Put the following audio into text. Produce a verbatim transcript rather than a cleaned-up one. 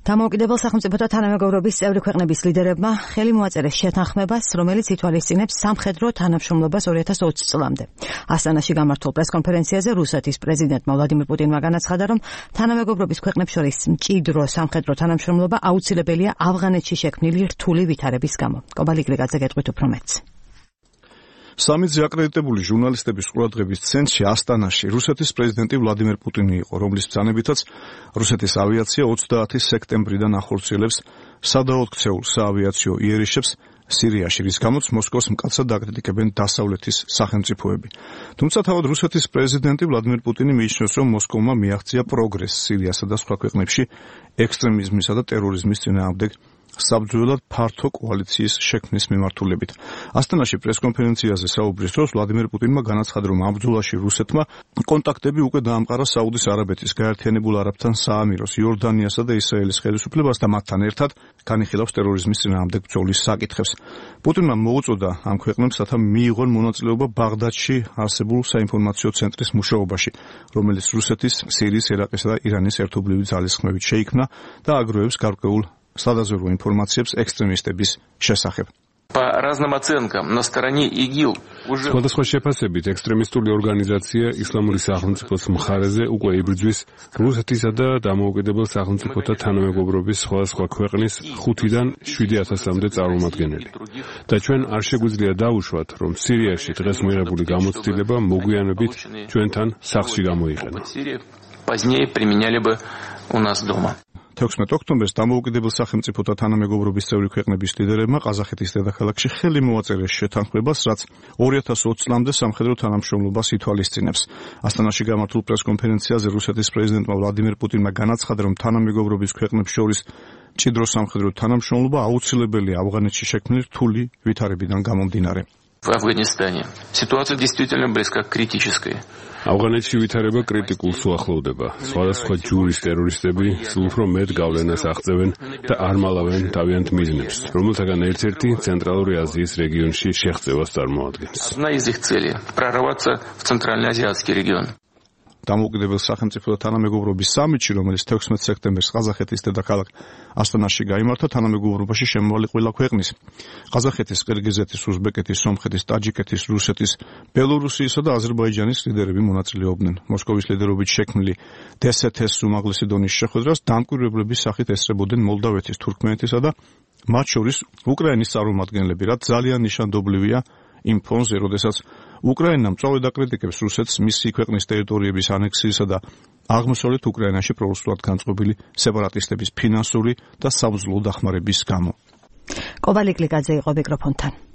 დამოუკიდებელ სახელმწიფოთა თანამეგობრობის წევრი ქვეყნების ლიდერებმა ხელი მოაწერეს შეთანხმებას, რომელიც ითვალისწინებს სამხედრო თანამშრომლობას ორი ათას ოცი წლამდე. ასტანაში გამართულ პრესკონფერენციაზე რუსეთის პრეზიდენტმა ვლადიმირ პუტინმა განაცხადა, რომ თანამეგობრობის ქვეყნებს შორის მჭიდრო სამხედრო თანამშრომლობა აუცილებელია ავღანეთში შექმნილი რთული ვითარების გამო. კობალიგრიგაძე გეტყვით უფრო მეტს. სამიძე აკრედიტებული ჟურნალისტების ყურადღების ცენტრში ასტანაში რუსეთის პრეზიდენტი ვლადიმირ პუტინი იყო, რომლის ბრძანებითაც რუსეთის ავიაცია ოცდაათი სექტემბრიდან ახორციელებს სადაოთხცეულ საავიაციო იერიშებს სირიაში, რის გამოც მოსკოვს მკაცრად აკრიტიკებენ დასავლეთის სახელმწიფოები. თუმცა თავად რუსეთის პრეზიდენტი ვლადიმირ პუტინი მიიჩნევს, რომ მოსკოვმა მიაღწია პროგრესს სირიასა და სხვა ქვეყნებში ექსტრემიზმისა და ტერორიზმის წინააღმდეგ საბრძოლოდ ფართო კოალიციის შექმნის მიმართულებით. ასტანაში პრესკონფერენციაზე საუბრის დროს ვლადიმირ პუტინმა განაცხადა, რომ ამ ბრძოლაში რუსეთმა კონტაქტები უკვე დაამყარა საუდის არაბეთის, გაერთიანებულ არაბთან საამიროს, იორდანიასა და ისრაელის ხელისუფლებას და მათთან ერთად განიხილავს ტერორიზმის წინააღმდეგ ბრძოლის საკითხებს. პუტინმა მოუწოდა ამ ქვეყნებს, რათა მიიღონ მონაწილეობა ბაღდადში არსებულ საინფორმაციო ცენტრის მუშაობაში, რომელიც რუსეთის, სირიის, ერაყისა და ირანის ერთობლივი ძალისხმევით შეიქმნა და აგროვებს გარკვეულ სადაზვერვო ინფორმაციებს ექსტრემისტების შესახებ. По разным оценкам на стороне ИГИЛ уже სხვადასხვა შეფასებით ექსტრემისტული ორგანიზაცია ისლამური სახელმწიფოს მხარეზე უკვე იბრძვის რუსეთისა და დამოუკიდებელ სახელმწიფოთა თანამეგობრობის სხვადასხვა ქვეყნის ხუთიდან შვიდი ათასამდე წარმომადგენელი. და ჩვენ არ შეგვიძლია დავუშვათ, რომ სირიაში დღეს მიღებული გამოცდილება მოგვიანებით ჩვენთან სახლში გამოიყენა. позднее применяли бы у нас дома. თექვსმეტ ოქტომბერს დამოუკიდებელ სახელმწიფოთა თანამეგობრობის წევრი ქვეყნების ლიდერებმა ყაზახეთის დედაქალაქში ხელი მოაწერეს შეთანხმებას, რაც ორი ათას ოცი წლამდე სამხედრო თანამშრომლობას ითვალისწინებს. ასტანაში გამართულ პრესკონფერენციაზე რუსეთის პრეზიდენტმა ვლადიმირ პუტინმა განაცხადა, რომ თანამეგობრობის ქვეყნებს შორის მჭიდრო სამხედრო თანამშრომლობა აუცილებელია ავღანეთში შექმნილი რთული ვითარებიდან გამომდინარე. В Афганистане ситуация действительно близка к критической. ავღანეთში ვითარება კრიტიკულს უახლოვდება. სხვადასხვა ჯურის ტერორისტები სულ უფრო მეტ გავლენას აღწევენ და არ მალავენ თავიანთ მიზნებს, რომელთაგან ერთ-ერთი ცენტრალური აზიის რეგიონში შეღწევას წარმოადგენს. Одна из их целей – прорваться в Центральноазиатский регион. დამოუკიდებელ სახელმწიფოთა თანამეგობრობის სამიტში, რომელიც თექვსმეტ სექტემბერს ყაზახეთის დედაქალაქ ასტანაში გაიმართა, თანამეგობრობაში შემოვალი ყველა ქვეყნის ყაზახეთის, ყირგიზეთის, უზბეკეთის, სომხეთის, ტაჯიკეთის, რუსეთის, ბელორუსიისა და აზერბაიჯანის ლიდერები მონაწილეობდნენ. მოსკოვის ლიდერობით შექმნილი დსთ-ს უმაღლესი დონის შეხვედრას დამკვირვებლების სახით ესწრებოდნენ მოლდავეთის, თურქმენეთისა და მათ შორის უკრაინის წარმომადგენლები, რაც ძალიან ნიშანდობლივია იმ ფონზე, როდესაც უკრაინა მწვავედ აკრიტიკებს რუსეთს მისი ქვეყნის ტერიტორიების ანექსიისა და აღმოსავლეთ უკრაინაში პრორუსულად განწყობილი სეპარატისტების ფინანსური და სამძლო დახმარების გამო. კობალიგრიგაძე იყო მიკროფონთან.